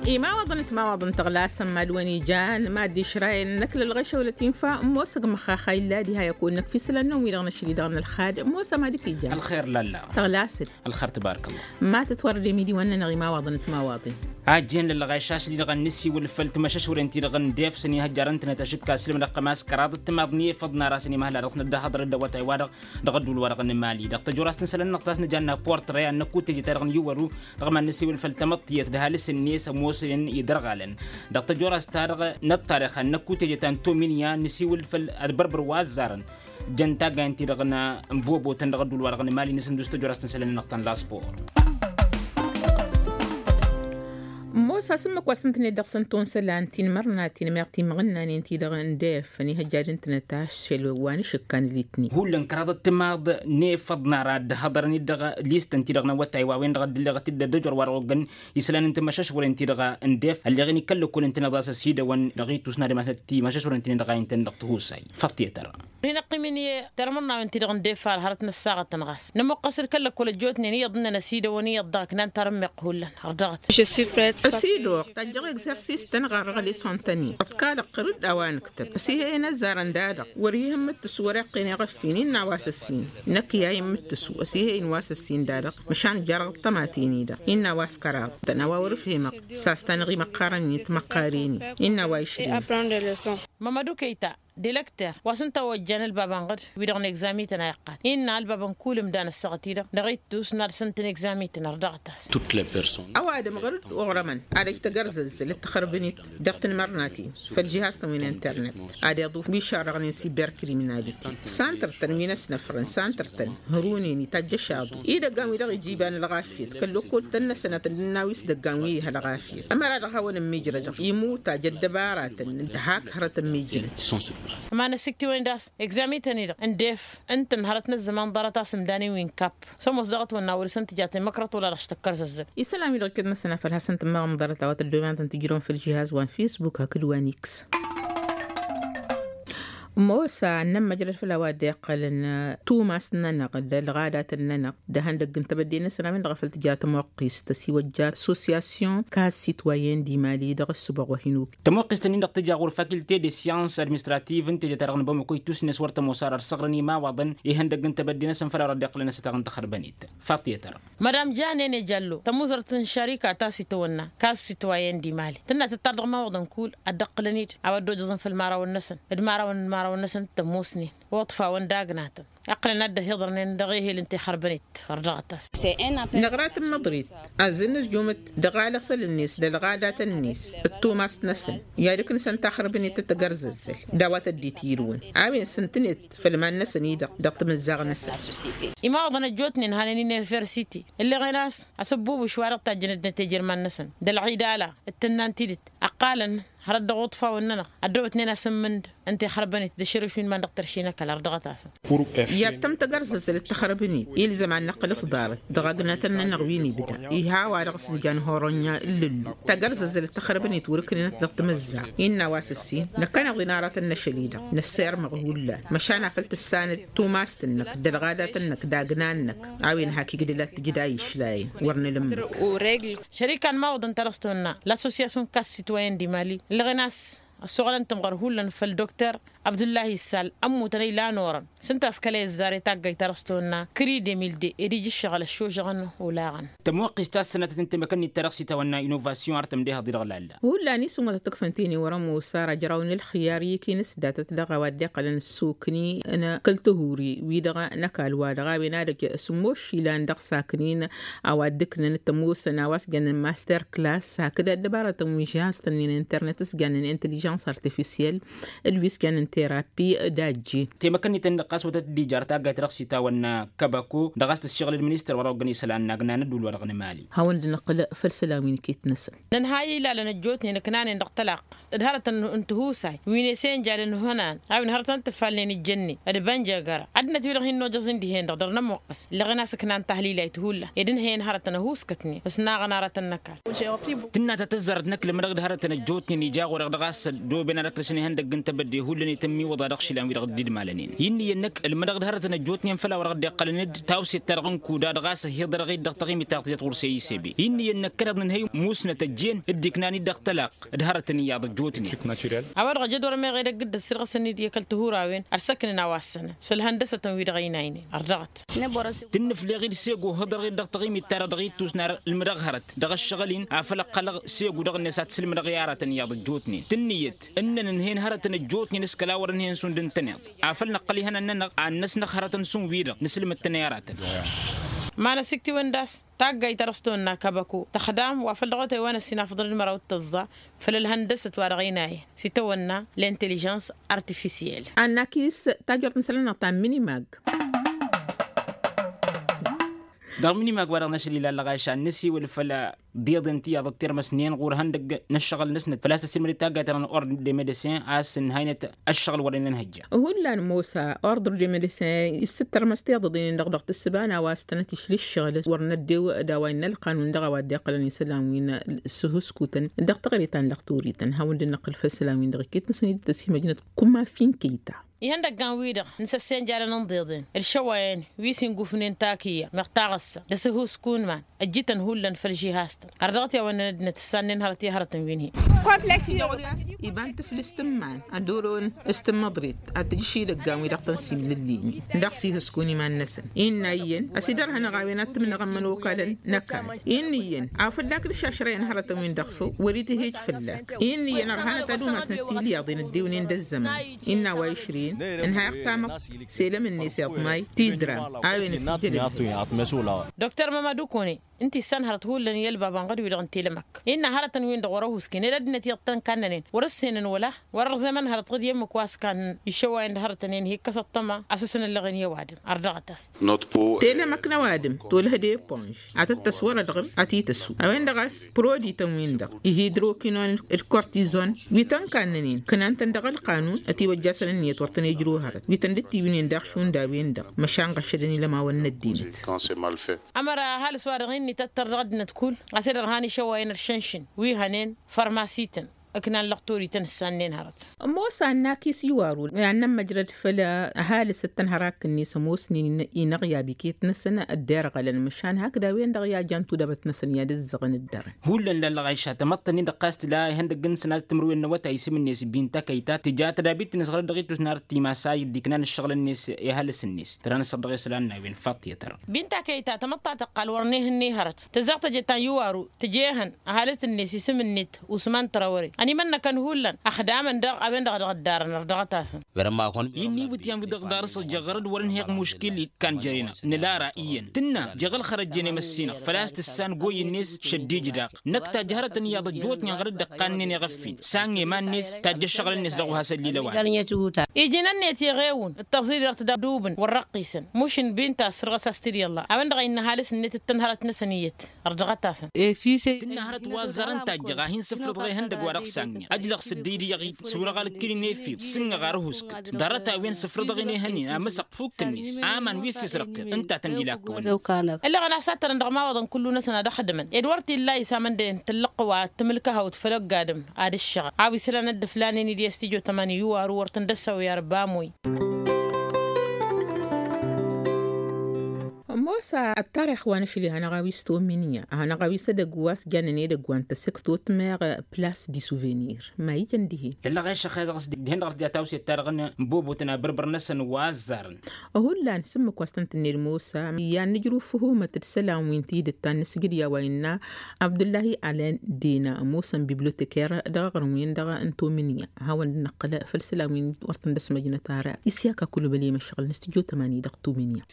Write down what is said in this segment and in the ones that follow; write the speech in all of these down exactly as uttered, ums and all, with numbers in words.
Imawaḍăn d-timawaḍăn tăɣlasăn mad-wăn ijan mad-išrayăn n-ăkla ălɣešăwlăt infa. Ămoos ăgg măxxaxa illa diha i-ăkk wănnăk f-isălan-năwăn wi-dăɣ năšli dăɣ-nălxad. Ămoos a madǝk ijan ălxer lalla. Tăɣlasăn ălxer tbarăkălla. Ma tǝtwărdem idiwăn-nănăɣ imawaḍăn d-timawaḍen. Ajjen lălɣeš a-s dd-dăɣ-nǝsiwǝl făll-timăšăšwăren-ti-dăɣ n-def s-ănihăjjarăn-tănăt ašǝkka s-lǝmdăɣ kămas kăraḍăt timaḍ n-efăḍ n-ara s-ănimăhla dăɣ-s năddăhăḍrăt d-awătay-wa-dăɣ dăɣ-ădduul-wa-dăɣ n-emali dăɣ-tăjorăst n-isălan-năɣ ta s-nǝjanna portre a n-ăkutejăt-ta-dăɣ n-iwăru. Dăɣ-iman n-ăsiwǝl făll-tamăḍtiyăt d-ăhalǝs-net s-ămoosnen idărɣalăn dăɣ-tăjorăst-ta-dăɣ n-ăṭṭarix a n-ăkutejăt ta n-tominya n-ăsiwǝl făll-ad-bărbăr wa ăzzarăn. Jăn taggayăn-ti-dăɣ n-ănbobotăn dăɣ-ădduul-wa-dăɣ n-emali n-asǝndus tăjorăst n-isălan-nănăɣ ta n-laspor. Ămoos asǝmmǝk wa s-tăn-tǝned dăɣ-săn tonsălan ti n-imărnaten meɣ timɣǝnnanen-ti-dăɣ n-def ănihăjja d-ǝntănăt ašăl wa n-ašǝkka n-litni. Hullan kăraḍăt timaḍ n-efăḍ n-ara dd-hăḍărăn-dd dăɣ-listăn-ti-dăɣ n-awătay wa-wen-dăɣ ăddăleɣăt-dd ăddăjor wa-dăɣ oggăn isălan n-timăšăšwăren-ti-dăɣ n-def ălleɣen ikăl-lăkkolăn-tăn iḍas ăsidăwăn dăɣ-itus n-ad-imasnăt timăšăšwăren-ti-dăɣ a intăn dăɣ-tihusay. Făḍ tiyătăra. Rin ăqqimǝn i-termărnawen-ti-dăɣ n-def har hărăt năssaɣăt tănɣas nămoqqăs d-kăl-lăkkol ăjjootnen iyyăḍ ǝnnăn ăsidăwăn iyyăḍ dăɣ-aknan tarǝmmeɣt hullan. Ărdăɣăt. Ăsidăwăɣ tajjăɣ egzărsis-tăn ɣarrăɣ lisson-tăn-in ăḍkalăɣ qărǝd a-wa nǝktăb ăsihăyăn ăzzarăn da-dăɣ wăr-ih ǝmmǝttǝsu wăr-iqqen iɣăffin innă a-wa s-ăssin. Năkk i-a immǝttǝsu ăsihăyăn wa s-ăssin da-dăɣ măšan jarrăɣ ăṭṭămaten-i-dăɣ innă a-wa s-kăraḍ-tăn a-wa wăr-ǝfhimăɣ. S-a-s tanăɣ imăqqarăn-in timăqqaren-in innă a-wa išrǝyăn. Mămădu kăyta d-elăkter wa s-ǝnta a ojjan ălbab anɣăd wi-dăɣ n-egzamităn a iqqal innă ălbab n-kull ǝmdan ăssaɣăt-i-dăɣ dăɣ-ittus n-ad-săn-tăn egzamităn ărdăɣăt-as. Ăwadǝm ɣur-dd uɣrămăn ad-ăj tăgărzăzzăl d-taxărbǝnit dăɣ-tinmărnaten făll-jihaz-tăn wi n-internet ad-iḍuf wi šarrăɣnen siberkriminalite. Santăr-tăn wi n-ăsnăfrăn santăr-tăn hărun-in itajj ăšaḍu idăggan wi-dăɣ ija iba n-ălɣafyăt kăl-lăkkol-tăn-năsăn ad-tăn-dd-nawi s-idăggan wi ih'-ălɣafyăt ămăra-dăɣ hawăn-ămmiijrădăɣ imuta jăddăbaratăn d-hak hărăt ămmiijlăt. Ămanăssiktiwăn-dd a-s egzamităn-i-dăɣ n-def ǝntăn hărăt n-ăzzăman ḍarăt-as ǝmdan-in wi n-kapp s-ămoos daɣ ătwănna wăr-săn tǝja temăkrăt wăla dăɣ-s tăkkărzăzzăl. Isălan-wi-dăɣ iket-năsăn a făl hasăn-tǝmmăɣăm ḍarăt a-wa tăddoben ad-tăn-tǝjrăwăm făll-žihaz wa n-fisbuk hakd wa n-iks. Ămoos a ănnămmăjrăd făll-a-wa dd-iqqălăn tumast-nănăɣ d-ălɣadatăn-nănăɣ d-ehăndăgg n-tebădde-năsăn a-wen-dăɣ a făl tǝja tămoqqist ăsiwăjja associasyon kas sitwayen d-imali dăɣ-ăssubăɣ wa hin-okǝy. Tămoqqist-nin-dăɣ tǝja ɣur-fakilte de syans administrativ n-teje-ta-dăɣ n-bamăko ittus-net wăr tămoos ara ărsăɣrăn imawaḍăn ihăndăgg n-tebădde-năsăn făll-a-wa dăɣ-dd-iqqălăn asătaɣ n-taxărbănit. Faḍt i-tăra. Madam janene jallo tămuzărt n-šarika ta s-itawănna kas sitwayen d-imali tǝnna tǝttar dăɣ-imawaḍăn kull ad-dd-ǝqqǝlăn-dd a-wa dd-ojăẓăn făll-imărawăn-năsăn d-imărawăn n-imărawăn-năsăn d-tămoosnen. Uḍfawăn d-agnatăn iqqălăn ad-dd-ăhiḍărnen dăɣ-ehel n-tixărbănit. Ărdăɣăt-as. Năɣra-t n-imǝḍrit. Azzǝnnǝzjumăt dăɣ-alăṣăl-net d-ălɣadatăn-net d-tumast-năsăn i-ad-ǝknǝsăn taxărbănit d-tagărzăzzăl d-a-wa tăddit yǝrǝwăn a-wen s-ǝntǝnet făll-iman-năsăn-i-dăɣ dăɣ-timǝzzaɣ-năsăn. Imawaḍăn ăjjootnen hanen universiti ǝlleɣen a-s asǝbbubuš wa dăɣ-tajjăn ăddinăt i-jerman-năsăn d-ălɣidala d-tǝnna n-tidǝt ăqqalăn hărăt dăɣ-uḍfawăn-nănăɣ ăddăwătnen asǝmmǝnd n-tixărbănit d-ašărǝš wi n-iman dăɣ-tărši n-ăkall ărdăɣăt-asăn. Yattăm tagărzăzzăl d-taxărbănit ilzăm ad-năqqǝl s-ḍarăt dăɣ-agnatăn-nănăɣ wi n-ibda iha a-wa dăɣ-s nǝjan horonya ǝllǝllu tagărzăzzăl d-taxărbănit wăr-ǝknǝnăt dăɣ-timǝzzaɣ innă a-wa s-ǝssin năkkăneḍ-in aratăn n-ašăl-i-dăɣ năssirmăɣ hullan măšan a făl tǝssanăd tumasăn-năk d-ălɣadatăn-năk d-agnan-năk. A-wen hak igdǝl ad-t-ǝjǝd a išlayăn wăr nǝlǝmmǝk. Šărika n-imawăḍăn ta dăɣ-s tăwănna l-associasyon kas sitwayen d-imali ǝlleɣen a-s ăssoɣălăn tămɣăr hullan făll-dokter abdullahi issal ămmutăn ăylan orăn s-ǝnta a-s kăla i-ăzzar i-taggayt ta dăɣ-s tăwănna kări demilde ed ija ǝššăɣǝl ăššožăɣăn olaɣăn. Tămoqqist ta s-sănatăt n-temăkănnit ta dăɣ-s itawănna inovasyon har tămdehăḍ-i-dăɣ lalla. Hullan isǝm wa tăt-ǝkfăn tene wăr-ămoos ara ăjraw n-ălxiyar i-ikinǝs datăt dăɣ-a-wa dd-iqqălăn ăssokni n-kăl-tihuri-wi-dăɣ n-ăkall-wa-dăɣ a-wen ad-ăj s-ămmoššilan dăɣ-saknin a-wa dd-ǝknăn t-ămoosăn a-wa s-jănnen master klass hakd ăddăbarătăn wi n-žihaz-tăn n-internet s-jănnen intăližăns artifisyel d-wi s-jănnen terapi d-ajjin. Temăkănnit-en-dăɣ ɣas wătăt dd-ijar taggayt dăɣ-s itawănna kăbăko dăɣ-a-s tǝššăɣǝl d-ministăr wa dăɣ-oggăn isălan n-agna n-ădduul wa dăɣ-nǝmali. Hawăn-dd-nǝqqǝl făll-isălan wi n-iket-năsăn. Nǝnhăy ilalăn ăjjootnen ǝknanen dăɣ-tălaqq d-hărătăn n-tihusay wi n-ese n-jadăn ihănan a-wen hărătăn d-tǝffalnen ǝjjănnen d-bănjăgăra ăddinăt-wi-dăɣ hin-nojăẓ-in dihen-dăɣ dăr-nămoqqăs ǝlleɣen a-s ǝknan tahlilay ti hullan ed ǝnhăyăn hărătăn ăhuuskătnen s-naɣăn aratăn n-ăkall. Tǝnna ta tǝzzarăt n-ăkall mădăɣ d-hărătăn ăjjootnen ija ɣur-e-dăɣ a-s ăddooben ad-ăkrăsăn ihăndăgg n-tebădde hullan. tămmiwăḍa dăɣ-išilan-wi-dăɣ dd-idmalănen. Innă iyyăn năkk ǝlmǝdăɣ d-hărătăn ăjjootnen făll-a-wa dăɣ-dd-iqqălăn d-tawset-ta-dăɣ n-kuda dăɣ-a-s ăhiḍărăɣ-dd dăɣ-taɣimit ta tǝjăt ɣur-s i-isebe. Innă iyyăn năkk kăneḍ nǝnhăy musnăt ăjjeen dd-iknan-dd dăɣ-tălaqq d-hărătăn iyyăḍ ăjjootnen. A-wa-dăɣ ăjădor meɣ edăgg dd-ăssirɣăsăn-dd i-kăl-tihurawen ărsăknen a-wa ăssănăn s-ǝlhăndăsătăn-wi-dăɣ ăynaynen ărdăɣăt. Tǝnnǝfleɣ-dd segu ǝhhǝḍărăɣ-dd dăɣ-taɣimit-ta-dăɣ dăɣ-ittus n-ar ǝlmǝdăɣ hărăt dăɣ-ăššăɣǝl-in afăl ǝqqălăɣ segu dăɣ-net ad-t-sǝlmǝdăɣ i-aratăn iyyăḍ ăjjootnen tǝnnǝyăt ǝnnăn ǝnhăyăn hărătăn ăjjootnen s-kăla wăr-ǝnhăyăn šund ǝntăneḍ afăl năqqăl ihănan-nănăɣ ad-năsnăɣ hărătăn šund wi-dăɣ nǝsǝlmǝd-tăn i-aratăn. Ma n-asiktiwăn d-a-s taggayt ta dăɣ-s tawănna kabako tăxdam wa făl-dăɣ-otay wa n-ăssinafăḍăn d-măraw d-tăẓẓa făll-ălhăndăsăt wa dăɣ-inayăn s-itawănna l-intellijăns artifisiyel. Annakis tajurt n-isălan-năɣ ta n-minimag. Dăɣ-minimag wa dăɣ-năšăl ilalăɣ a išan năsiwǝl făll-diḍen ti iyyăḍ ăttirmăsnen ɣur-ihăndăgg n-ăššăɣǝl-năsnăt făl-a-s tăssimăd i-taggayt-ta n-ordre de medecin a-s ǝnhăynăt ăššăɣǝl wăren ănhăjja. Hullan mosa ordre de medecin issǝttărmăs tiḍăḍen-in-dăɣ dăɣ-tǝssǝba n-a-wa s-tănăt išli ǝššăɣǝl wăr năddew d-a-wa innă ălqanun dăɣ-a-wa dd-iqqălăn isălan wi n-sǝhǝskutăn dăɣ-taɣre ta n-lăqtorităn hawăn-dd-năqqǝl făll-isălan-win-dăɣ iket-năsăn i-dd-tăsimăjnăt. Kuma fin kăyta. Ihăndăggan-wi-dăɣ n-săssiyăn jadăn n-iḍeḍen ǝlšăwayăn wi s-ingufnen takǝyya meɣ taɣǝssa d-asǝhuskun iman ăjjităn hullan făll-žihaz-tăn. Ărdăɣăt i-a-wa ǝnnăn ăddinăt ǝssannen hărăt i-hărăt n-wi n-hi. Iba n-tǝflǝst n-iman ad-dd-oron s-tǝmmăḍrit ad-tǝjǝš idăggan-wi-dăɣ tăn-simlǝllǝynen dăɣ-s ihǝskun iman-năsăn. Innă iyyăn ăsidărhănăɣ a-wen ad-tǝmnăɣ ămmănokal n-ăkall. Innă iyyăn a fălla-k d-išašrăyăn hărătăn-win-dăɣ făw wăr-itǝhhej fălla-k. Innă iyyăn ărhanăt ad-umasnăt tilyaḍen ăddiwnen d-ăzzăman. Innă a-wa išrǝyăn ǝnhayăɣ tamăḍt selăm-net iḍmay tidram a-wen ăsijjădăn. Dr mamadu kone ǝnta issan hărăt hullan i-ălbab anɣăd-wi-dăɣ n-telămăk innă hărătăn-win-dăɣ wăr-ăhusken ed ăddinăt iyyăḍ tăn-kannănen wăr-ǝssenăn wăla wăr-ărẓemăn hărăt ɣǝd i-ǝmmǝk wa s-kannăn išăwayăn d-hărătăn-en hi-ikkăs ăṭṭăma a-s ăsănăllăɣen i-ăwadǝm. Ărdăɣăt-as. Telămăk n-ăwadǝm tolăh d-eponž ad-tăt-tăswărăd ɣǝr ad-t-tăssu a-wen-dăɣ a-s prodităn-win-dăɣ ihidrokinon d-kortizon wi tăn-kannănen kănan-tăn dăɣ-ălqanun ătiwăjjasăn ǝnniyăt wăr tăn-ijrǝw hărăt wi tăn-dd-tiwǝynen daɣ šund a-wen-dăɣ măšan ɣăššădăn ilămawăn n-ăddinăt. Ămăra ăhalǝs-wa-dăɣ innă ităttăr dăɣ-ăddinăt kull a-s ed ărhan išăwayăn ăršănšǝn wi hănen fărmasităn ǝknan lăqtorităn ǝssannen hărăt. Ămoos annakis iwaru i-ad-nămmăjrăd făll-ăhalǝs d-tănhărak-net ămoosnen inăɣyab iket-năsăn dd-irɣălăn măšan hakd a-wen-dăɣ i-a jan tudabăt-năsăn i-ad-ǝzzăɣăn dd-dărăn. Hullan lallăɣ a išat ămăḍtăn-in-dăɣ ɣas tǝla ihăndăgg-năsăn ad-tǝmrǝwen n-awătay isǝm-net binta kăyta tǝja tădabit-net ɣărăt dăɣ-itus n-arăt timasay dd-iknan ǝššăɣǝl-net i-ăhalǝs-net tăra n-ăssăr dăɣ-isălan n-a-wen faṭṭiyăt-dăɣ. Binta kăyta tamăḍt ta tăqqal wăr n-ehăn n-ehărăt tǝzzaɣ tăje ta n-iwaru tǝjehăn ăhalǝt-net isǝm-net usman trawăre ănimănnăkăn hullan ăxdamăn daɣ a-wen-dăɣ a dăɣ-dd-arăn ărdăɣăt-asăn. Innă iwǝtyan wi dăɣ-darăsăɣ jeɣ ɣărăd wăr-ǝnheɣ muškil ikkan jăre-năɣ nǝlara iyyăn tǝnna jeɣ ălxărăjjen i-măssinăɣ făl-a-s tǝssan goyy-net šăddij daɣ năkk ta jăhărătăn iyyăḍ ăjjootnen ɣărăd d-ăqqannen i-iɣăffin s-a n-eman-net tajj' ăššăɣǝl-net dăɣ-wa has-ăllilăwad. Iji n-ănniyăt iɣewǝn d-tăẓidert d-adubǝn wăr-răqqisăn mušǝn binta s-săr-ɣas a-s tǝd-iyyălla a-wen-dăɣ a innă ăhalǝs-net d-tăn-hărăt-năsăn iyyăt. Ărdăɣăt-asăn. Tǝnna hărăt wa ăzzarăn tajjăɣ a hin-sǝfrǝḍăɣ ihăndăg wa dăɣ-s anniɣ ăjlăɣ s-dd-idǝyăɣ-dd s-wăr-ăɣalǝkkǝlin efil s-ǝnnăɣ ar ăhuskǝt ḍarăt-a-wen sǝfrǝḍăɣ-in ehăn-in amǝsăɣ fukk-net aman wi s-isrăqqeɣ ǝnta a tăn-dd-ilakkăwăn. Ǝllăɣăn a-s ad-tărăn dăɣ-mawăḍăn kullu-năsăn ad-ăxdǝmăn ed wăr t-illa isam ǝndăyăn tǝllăɣ wa tǝmǝlkăhăwt făll-ăgg-adǝm ad-ǝššăɣăl a-wa isălan ad-dd-ǝflanen-dd i-astijotămani iwaru wăr tăn-dd-ăssăwăy arbamăy. Ămoos ăttarix wa n-ašli hanăɣ-a-wi s-tominya hanăɣ-a-wi s-edăgg wa s-jannen edăgg wa n-tasǝktot meɣ plas di suvenir ma ijăn dihen. Lăllăɣ a išăxxeẓăɣ s-dihen dăɣ-tǝja tawset-ta-dăɣ n-bobotăn abărbăr-năsăn wa ăzzarăn. Hullan s-ǝmmǝk wa s-tăn-tǝnned mosa i-ad-nǝjrǝw făhumăt d-isălan wi n-tidǝt ta n-nǝsgǝd i-a-wa innă abdullahi alen dina ămoosăn bibloteker dăɣ-aɣrǝm-win-dăɣ n-tominya. Hawăn-dd-năqqǝl făll-isălan wi wăr tăn-dd-ăsmăjnăt ara isyaka kulubăl i-măšɣăl n-studyo tămani dăɣ-tominya.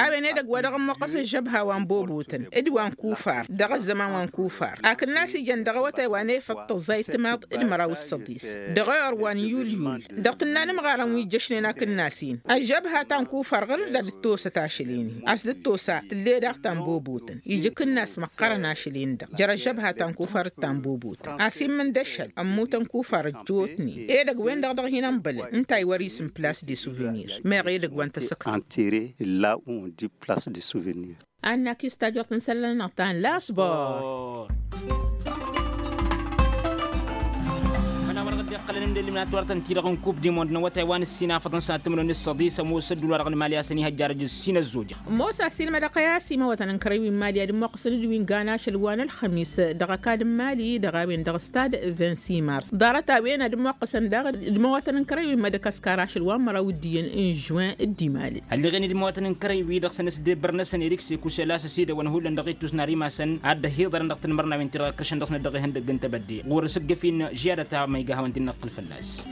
A-wen edăgg wa dăɣ-ămmoqqăs ăžžăbha wa n-bobotăn d-wa n-kufar dăɣ-ăzzăman wa n-kufar akǝnnas ijăn dăɣ-awătay wa n-efăḍ tăẓẓayt timaḍ d-măraw s-săḍis dăɣ-eor wa n-yulyul dăɣ-tǝnna n-imɣarăn wi ǝjjăšnen akǝnnas-in. Ăžžăbha ta n-kufar ɣur-dd ad-dd-tosăt ašăl-in-hi a-s dd-tosa tǝll'-e daɣ ta n-bobotăn ija akǝnnas măqqărăn ašăl-in-dăɣ jer-ăžžăbha ta n-kufar d-ta n-bobotăn a-s immǝn d-ašăl ămmutăn kufar ăjjootnen edăgg-wen-dăɣ dăɣ-hin-ănbălăn ǝnta a iwăr isǝm plas de suvenir meɣ edăgg wa n-tasăkt. Antere illa un di plas de suvenir. Annak-i s-tajurt n-isălan-năɣ ta n-lasbor. Făl-a-wa-dăɣ Dd-iqqălăn ǝndăllimnat wăr tăn-ti-dăɣ n-kub di mond n-awătay wa n-ǝssin afăḍăn sănat timǝrwen n-ǝssăḍi s-ămoos ădduul-wa-dăɣ n-imali a-s ănihăjja dăɣ-ǝssin ăzzojăn. Mosa s-ilmădăɣ i-a-s imawătăn n-kărăy wi n-imali ad-ămmoqqăsăn d-wi n-gan ašăl wa n-ălxămis dăɣ-ăkall n-imali dăɣ-a-wen dăɣ-stad. Vingt-six mars ḍarăt-a-wen ad-ămmoqqăsăn daɣ d-imawătăn n-kărăy wi n-madăkaskar ašăl wa n-măraw d-iyyăn n-žuin d-imali. Ălleɣen-dd imawătăn n-kărăy-wi-dăɣ s-ănăsdebăr-năsăn erik sekuselas ăsidăwăn hullan dăɣ-ittus n-ar imasăn ad-dd-ăhiḍărăn dăɣ-tanmărnawen-ti-dăɣ ǝkrǝšăn dăɣ-snăt dăɣ-ihăndăgg n-tebădde ɣur-s ǝggǝf-in žiyadăt a ma iga hawăn-dd-năqqǝl fălla-s.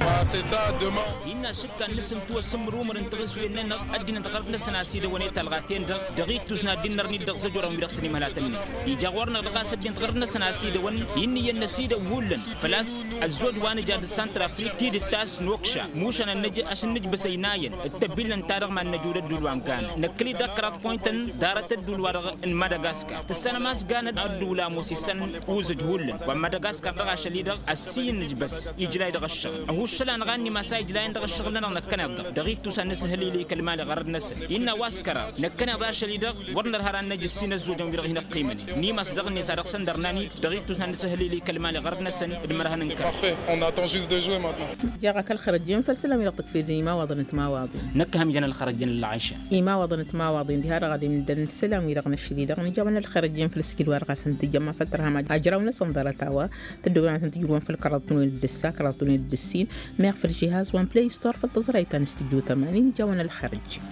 Innă ăššǝkka-năsăn tiwăssǝmmăr umăr n-taɣǝswen-nănăɣ ăddinăt ɣărăt-năsăn a-s idăwăn i-talɣaten-dăɣ dăɣ-ittus n-ad-dd-innărnit dăɣ-zăjorăn wi-dăɣ s-ănimălatăn n-ija ɣur-năɣ dăɣ-a-s ăddinăt ɣărăt-năsăn a-s idăwăn. Inn'-iyyăn n-ăsidăw hullan făl-a-s ăzzoj wa nǝja d-santrafrik tidǝt ta s-nokša mušan ad-nǝj ăššǝnnǝj băsăynayen d-tăbbillăn ta dăɣ-mad-năj ula ădduul wa n-ganăd năkkăl-dd ăkraḍ poyntăn ḍarăt ădduul-wa-dăɣ n-madagaskar tǝssanăm a-s ganăd ădduul ămoos issan uzǝj hullan wa n-madagaskar dăɣ-ašăl-i-dăɣ ăssiyyǝnnǝj băss ijlay dăɣ-ăššăɣǝl ăhuššăl-anăɣ a ǝnnim a-s a ijlayăn dăɣ-ăššăɣǝl-nănăɣ năkkăneḍ-dăɣ dăɣ-ittus ad-nǝsǝhhǝl-i-li kăl-mali ɣărăd-năsăn innă a-wa s-kăraḍ năkkăneḍ ašăl-i-dăɣ wăr nărha ar ad-năj ǝssin ăzzojăn wi-dăɣ hin-ăqqimăn n-imas dăɣ-net a dăɣ-săn dăr-nan-dd dăɣ-ittus n-ad-nǝsǝhhǝl-i-li kăl-mali ɣărăd-năsăn d-imărhăn n-kăraḍ. Jaɣ-ak ălxărăjjen făll-isălan wi-dăɣ tǝkfǝyăd n-imawaḍăn d-timawaḍin. Năkk ham ijăn ălxărăjjen ăllăɣăyšan. Imawaḍăn d-timawaḍin diha-dăɣ ad-imdăn isălan wi-dăɣ n-ašăl-i-dăɣ nǝjawăn ălxărăjjen făll-isǝjǝd wa dăɣ-asăn tǝjjăm ma făll-tărham ajraw-năsăn ḍarăt-a-wa tǝddǝwăn ad-tăn-tǝjrǝwăn făll-kăraḍ-tăn-wen d-ǝssa kăraḍ-tăn-wen d-ǝssin. Meɣ făll-žihaz wa n-play store făll-tăẓrayt ta n-studyo tămanin nǝjawăn ălxărăjjen.